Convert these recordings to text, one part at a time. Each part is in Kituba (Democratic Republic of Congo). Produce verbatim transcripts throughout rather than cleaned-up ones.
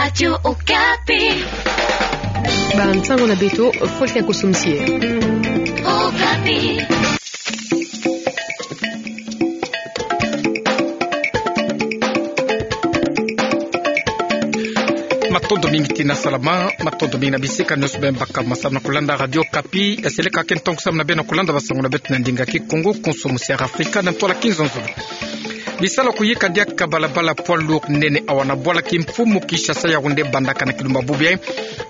Radio Okapi. Bansango na beto, Faustin Kosomsie. Okapi. Matondo mingi tina salama, matondo mingi na bisika nyonso beno baka masamu na kolanda Radio Okapi, ya seleka ke ntangu samu na beno na kolanda bansango na beto na ndinga Kikongo, konso musi ya Afrika, na ntwala Kinzonzolo. Bisalu kuyika diaka balabala poids lourd nene awa na bwala kimfumu Kinshasa Yaoundé bandaka na kilumbu bubu yai,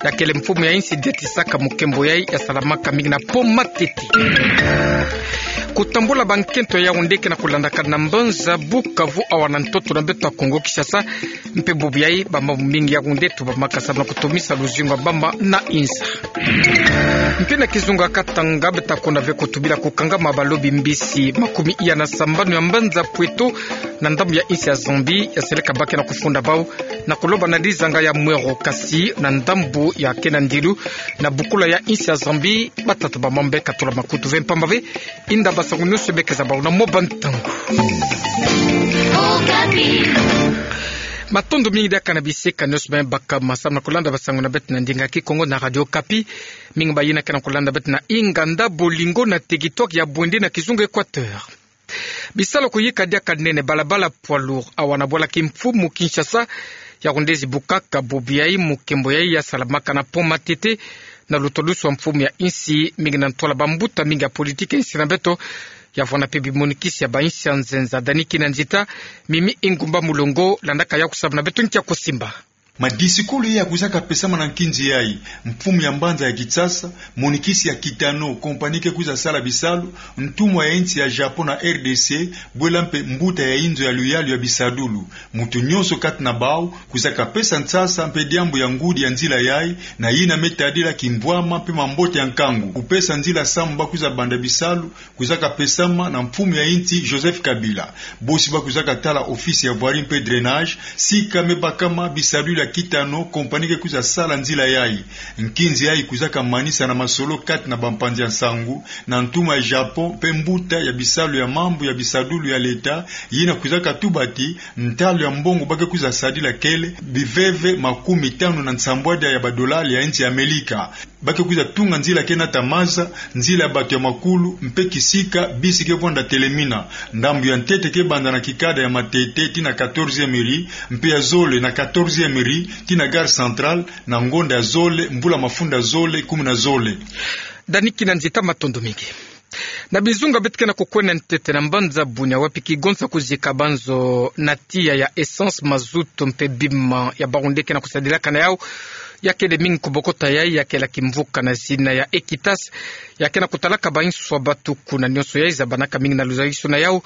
ya kele mfumu ya insi detisaka mukembo yai ya salamaka mingi na pont Matete. Kutambula bankento ya Yaoundé ke na kolandaka na mbanza Bukavu awa na ntoto na beto ya Kongo Kinshasa, mpe bubu yai bamama mingi ya Yaoundé tubamaka samu na kutumisa luzingu ya bamama na insi. Mpe na kizunga Katanga, beta kwenda ve kutubila kukangama balobi mbisi makumi iya na sambanu ya mbanza Poeto na ndambu ya insi ya Zambie, ya seleka ba ke na kufunda bau na kuloba na dizanga ya Mwero, kasi na ndambu ya Kenandilu na bukula ya insi ya Zambie, batata bamama be katula makutu ve mpamba ve. Inda bansango nyonso be ke za bau na mwa bantangu. Matondo mingi diaka na bisika nyonso beno baka masamu na kolanda bansango na beto na ndinga Kikongo na Radio Okapi. Mingi bayina ke na kolanda beto na inganda Bolingo na territoire ya Bouendé na kizunga Équateur. Bisalu kuyika diaka nene balabala poids lourd awa na bwala kimfumu Kinshasa Yaoundé zibukaka bubu yai, mukembo yai ya salamaka na pont Matete, na lutalusu ya mfumu ya insi, mingi na ntwala bambuta mingi ya politiki ya insi na beto, ya vwanda mpe bimonikisi ya bainsi ya nzenza. Dani Kinanzita, Mimi Ingumba Mulongo landaka yau samu na beto nkia kusimba. Madisikulu ya kwizaka pesama na nkinzi yai, mfumu ya mbanza ya Kinshasa, monikisi ya Kitano, compagnie ke kwiza sala bisalu, ntumwa ya insi ya Japon na R D C, bwela mpe mbuta ya inzo ya luyalu ya bisadulu. Mutu nyonso kati na bau kwizaka pesa nsasa mpe diambu ya ngudi ya nzila yai, na yina me tadila kimbwama mpe mambote ya nkangu. Kupesa nzila samu ba kwiza banda bisalu kwizaka pesama na mfumu ya insi Joseph Kabila. Bosi ba kwizaka tala ofisi ya voirie mpe drainage, sika me bakama bisadulu ya Kitano, compagnie ke kwiza sala nzila yai. Nkinzi yai kwizaka manisa na masolo kati na bampanzi ya nsangu, na ntumwa ya Japon mpe mbuta ya bisalu ya mambu ya bisadulu ya leta, yina kwizaka tuba ti ntalu ya mbongo ba ke kwiza sadila kele biveve makumi tanu na nsambwadia ya badolari ya insi ya Amelika. Ba ke kwiza tunga nzila ke nata maza, nzila ya bato ya makulu, mpe kisika bisi ke vwanda telemina. Ndambu ya ntete ke banda na kikada ya Matete tii na quatorzième rue, mpe ya zole na quatorzième rue tii na gare centrale, na ngonda ya zole, mvula mafunda zole kumi na zole. Dani Kinanzita, matondo mingi. Na bizunga beto ke na kukwenda ntete na mbanza Bunia, wapi kigonza kuzika banzo na tiya ya essence, mazout mpe bima ya Baoundé ke na kusadilaka na yau, ya kele mingi kubokota yai, ya kela kimvuka na zina ya Equitas, ya ke na kutalaka bainswa batuku na nyonso yai zabanaka mingi na luzalisu na yau,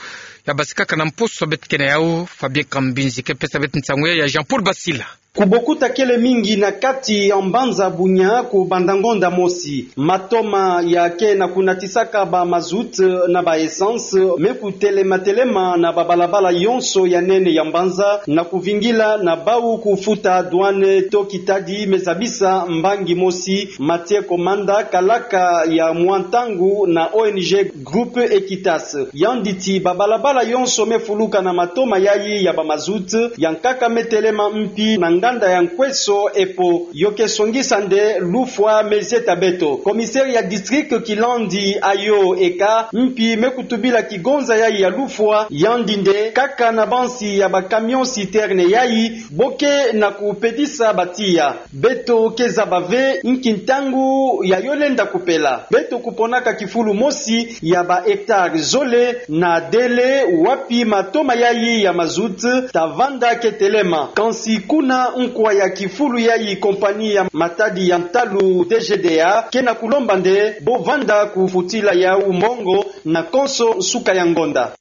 ya basikaka na mposo beto ke na yau. Fabien Kambinzi ke pesa beto nsangu yai ya Jean-Paul Basila. Kubokota kele mingi na kati ya mbanza Bunia ku banda ngonda mosi. Matoma ya ke na kunatisaka ba mazout na ba essence me kutelema telema na babalabala yonso ya nene ya mbanza, na kuvingila na bau kufuta douane to kitadi me zabisa mbangi mosi. Mathieu Komanda, kalaka ya mwa ntangu na O N G Groupe Equitas, yandi ti babalabala yonso me fuluka na matoma yai ya ba mazout, ya nkaka me telema mpi na nganda ya Nkweso Epo. Yo ke songisa nde lufwa me zieta beto. Commissaire ya district kilandi ayo eka mpi me kutubila kigonza yai ya lufwa, yandi nde kaka na bansi ya ba camion citerne yai bo ke na kupedisa ba tiya. Beto ke zaba ve nki ntangu ya yo lenda kupela. Beto kuponaka kifulu mosi ya ba hectare zole na Dele, wapi matoma yai ya mazout ta vanda ke telema. Kansi kuna nkwa ya kifulu yai, compagnie ya matadi ya ntalu D G D A ke na kulomba nde bo vanda kufutila yau mbongo na konso nsuka ya ngonda.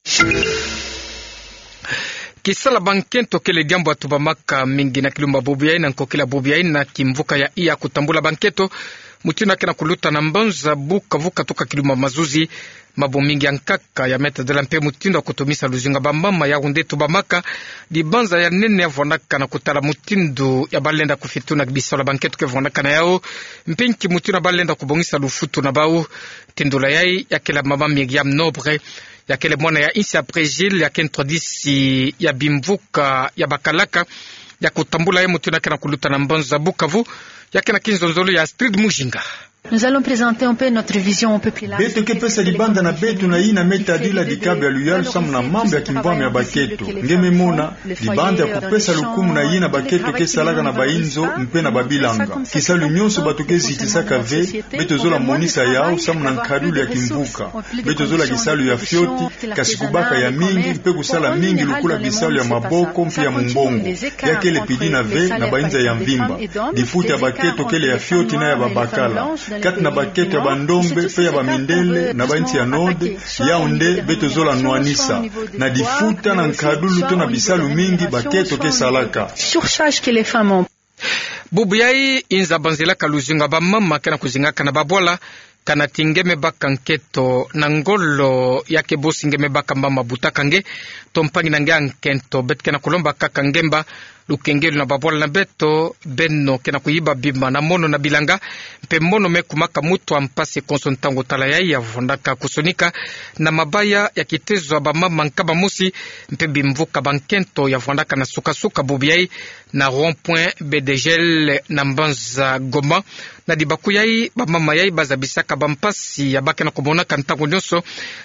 Kisala bankento kele diambu ya tubamaka mingi na kilumbu bubu yai na nkokila bubu yai na kimvuka ya Iya. Kutambula bankento mutindu ya ke na kuluta na mbanza Bukavu katuka kilumbu mazuzi, mambu mingi ya nkaka ya me tadila mpe mutindu ya kutumisa luzingu ya bamama. Yau nde tubamaka dibanza ya nene ya vwandaka na kutala mutindu ya ba lenda kufituna bisalu ya bankento ke vwandaka na yau, mpe nki mutindu ya ba lenda kubongisa lufutu na bau. Tindula yai ya kele mama Myriam Nobre, ya kele mwana ya insi ya Brésil, ya ke ntwadisi ya bimvuka ya bakalaka, ya kutambula ye mutindu ya kena kuluta na mbanza Bukavu, ya kena kinzonzolo ya Astrid Mujinga. Nous allons présenter un peu notre vision un peu plus large. Beto ke pesa dibanda na beto na yina me tadila dikabia luyalu samu na mambu ya kimvwama ya bakento. Nge me mona, dibanda ya kupesa lukumu na yina bakento ke salaka na bayinzo mpe na babilanga. Kisalu nyonso bato ke zitisaka ve, beto zola monisa yau samu na nkadulu ya kimvuka. Beto zola kisalu ya fioti, kasi kubaka ya mingi, mpe kusala mingi lokola bisalu ya maboko mpe ya mumbongo. Ya kele pidina ve na bainza ya mvimba. Difuta ya bakento kele ya fioti na ya babakala. Kati na bakento ya bandombe mpe ya bamindele na bainsi ya Nord, yau nde beto zola nwanisa. Na difuta na nkadulu to na bisalu mingi bakento ke salaka. Surcharge que les femmes ont. Bubu yai inza banzilaka luzingu ya bamama kena kuzingaka na babwala, kana ti nge me baka nkento na ngolo, ya ke bosi nge me baka mama butaka nge, to mpangi na nge ya nkento, beto kena kulomba kaka ngemba, lukengelo na babwala na beto, beno kena kuyiba bima na mono na bilanga, mpe mono me kumaka mutu wa mpasi konso ntangu tala yai ya vwandaka kusonika, na mabaya ya kitezo ya bamama nkama mosi, mpe bimvuka ba nkento ya vwandaka na suka-suka bubu yai, na rond-point B D G L na mbanza Goma. Na dibaku yai, bamama yai bazabisaka bampasi ya ba kena kumonaka ntangu nyonso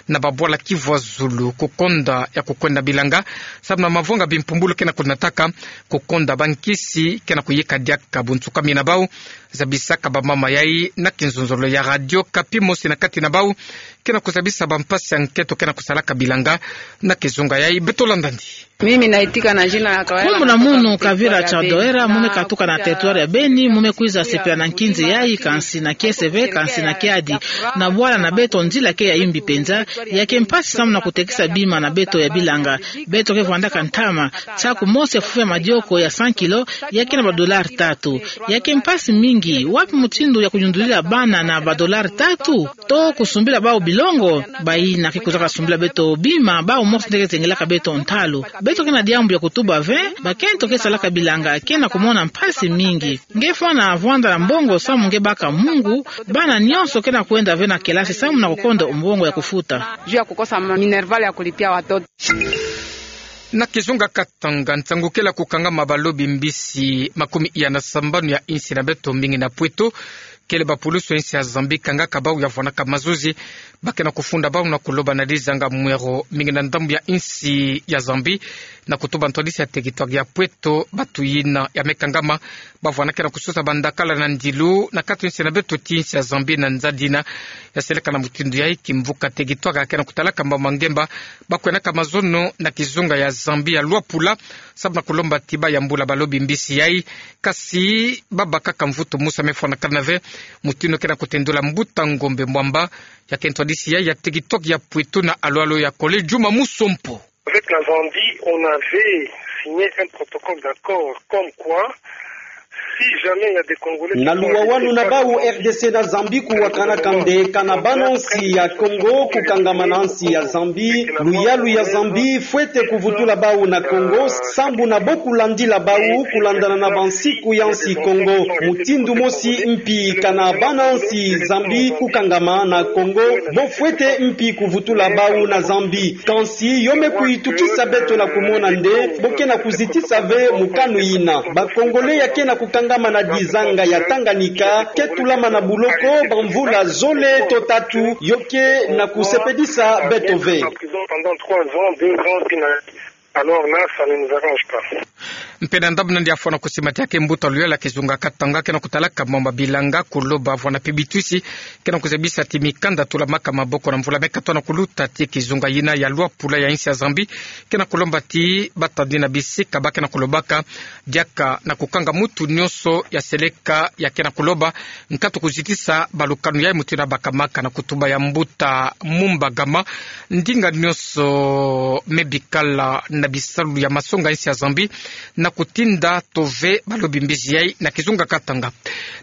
na babwala kivwa zulu, kukonda ya kukwenda bilanga, samu na mavanga bimpumbulu kena kunataka, kukonda bankisi kena kuyika diaka bunsukamina bau. Zabisaka bamama yai na kinzonzolo ya Radio Okapi, mosi na kati na bau kena kuzabisa bampasi ya nkento kena kusalaka bilanga. Na kizunga yai, beto landa ndi. Mimi naitika na jina ya kawaida. Nkumbu na munu Kavira Chadoera, mu me katuka na territoire ya Beni, mu me kwiza sepela na nkinzi yai, kansi na kiese ve, kansi na kiadi. Na bwala na beto nzila ke ya yimbi penza, ya ke mpasi samu na kutekisa bima na beto ya bilanga. Beto ke vwandaka ntama, saku mosi ya fufu ya madioko ya cent kilos, ya ke na ba dollars tatu. Ya ke mpasi mingi, wapi mutindu ya kuyundulila bana na ba dollars tatu? To kusumbila bau bilongo, bayina ke kwizaka sumbila beto bima, bau mosi nde ke zengelaka beto ntalu. Beto ke na diambu ya kutuba ve, bakento ke salaka bilanga ke na kumona mpasi mingi. Nge fwana vwanda na mbongo samu nge baka mungu, bana nyonso ke na kwenda ve na kelasi samu na kukonda mbongo ya kufuta. Juu ya kukosa minerval ya kulipia watoto. Na kizunga Katanga, nsangu kele ya kukangama balobi mbisi makumi iya na sambanu ya insi na beto, mingi na Pweto, kele bapulusu ya insi ya Zambie kangaka bau ya vwanaka mazozi, ba ke na kufunda bau na kuloba na dizanga mwero mingi na ndambu ya insi ya Zambie, na kutuba ntwadisi ya territoire ya Pweto, batu yina ya me kangama, ba vwana ke na kusosa bandakala na ndilu na kati insi na beto ti insi ya Zambie na nzadi yina ya seleka na mutindu yai. Kimvuka territoire ya ke na kutalaka mbamba ngemba, ba kwenaka mazono na kizunga ya Zambie ya Luapula, samu na kulomba ti ba yambula balobi mbisi yai, kasi ba bakaka mvutu musa me fwanakana ve, mutindu ke na kutendula mbuta Ngombe Mwamba, ya ke ntwadisi yai ya territoire ya Pweto na alo-alo ya Kole, Juma Musompo. Avec la Zambie, on avait signé un protocole d'accord comme quoi, si jamais il y a des Congolais qui sont arrêtés par la Zambie, na luwawanu na bau R D C na Zambie kuwakanaka nde kana bana nsi ya Congo kukangama na nsi ya Zambie, luyalu ya Zambie fwete kuvutula bau na Congo, sambu na bo kulandila bau kulandana na bansiku ya nsi Congo. Mutindu mosi mpi kana bana nsi Zambie kukangama na Congo, bo fwete mpi kuvutula bau na Zambie. Kansi yo me kuyitukisa beto na kumona nde bo ke na kuzitisa ve mokano yina. Ba Congolais ya ke na kukangama na dizanga ya Tanganyika ke tulama na buloko bamvula zole to tatu, yo ke na kusepelisa beto ve. Pendant trois ans, deux ans, puis na, alors là, ça ne nous arrange pas. Mpe na ndambu nandi ya fwana kusimatiake mbuta luyala kizunga Katanga ke na kutalaka mama bilanga, kuloba vwana mpe bitwisi ke na kuzabisa ti mikanda tulamaka maboko na mvula me katoa na kuluta ti kizunga yina ya Luapula ya insi ya Zambie, ke na kulomba ti ba tandi na bisika ba ke na kulobaka, diaka na kukanga mutu nyonso ya seleka ya ke na kuloba nkatu kuzitisa balukanu yai, mutindu ya bakamaka na kutuba ya mbuta Mumba Gama, ndinga nyonso me bikala na bisalu ya masonga insi ya Zambie, na kutinda to ve balobi mbisi yai na kizunga Katanga.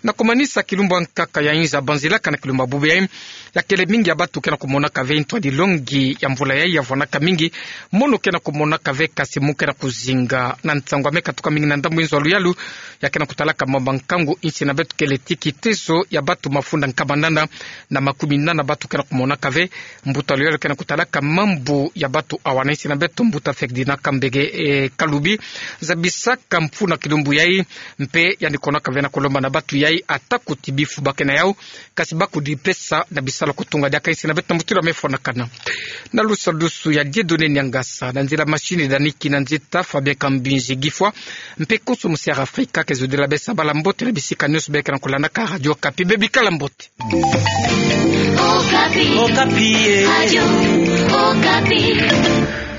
Na kumanisa, kilumbu ya nkaka ya inza banzilaka na kilumbu ya bubu yai, ya kele mingi ya batu ke na kumonaka ve ntwadi longi ya mvula yai ya vwanaka mingi, mono ke na kumonaka ve, kasi mu ke na kuzinga na nsangu ya me katuka mingi na ndambu inzo ya luyalu, ya ke na kutalaka mama nkangu insi na beto kele ti kitezo ya batu mafunda nkama nana na makumi nana batu ke na kumonaka ve. Mbuta luyala ke na kutalaka mambu ya batu awa na insi na beto, mbuta Ferdinand Kambege, eh, Kalubi, zabisaka mfunu kilumbu yai, mpe yandi konaka vena kolomba na batu yai, ata kuti bifubake na yau, kasi bakudi pesa na bisalu kutunga diaka isi na beto mbuti la mefo na kana. Na lusadusu ya Dieudonné Niangasa, na nzila machine daniki na nzita Fabien Kambinzi Gifwa, mpe konso musi ya Afrika ke zodila besa bala mbote na bisika nyonso beka na kolandaka Radio Okapi, bebikala mbote. Okapi. Okapi, eh. Radio Okapi.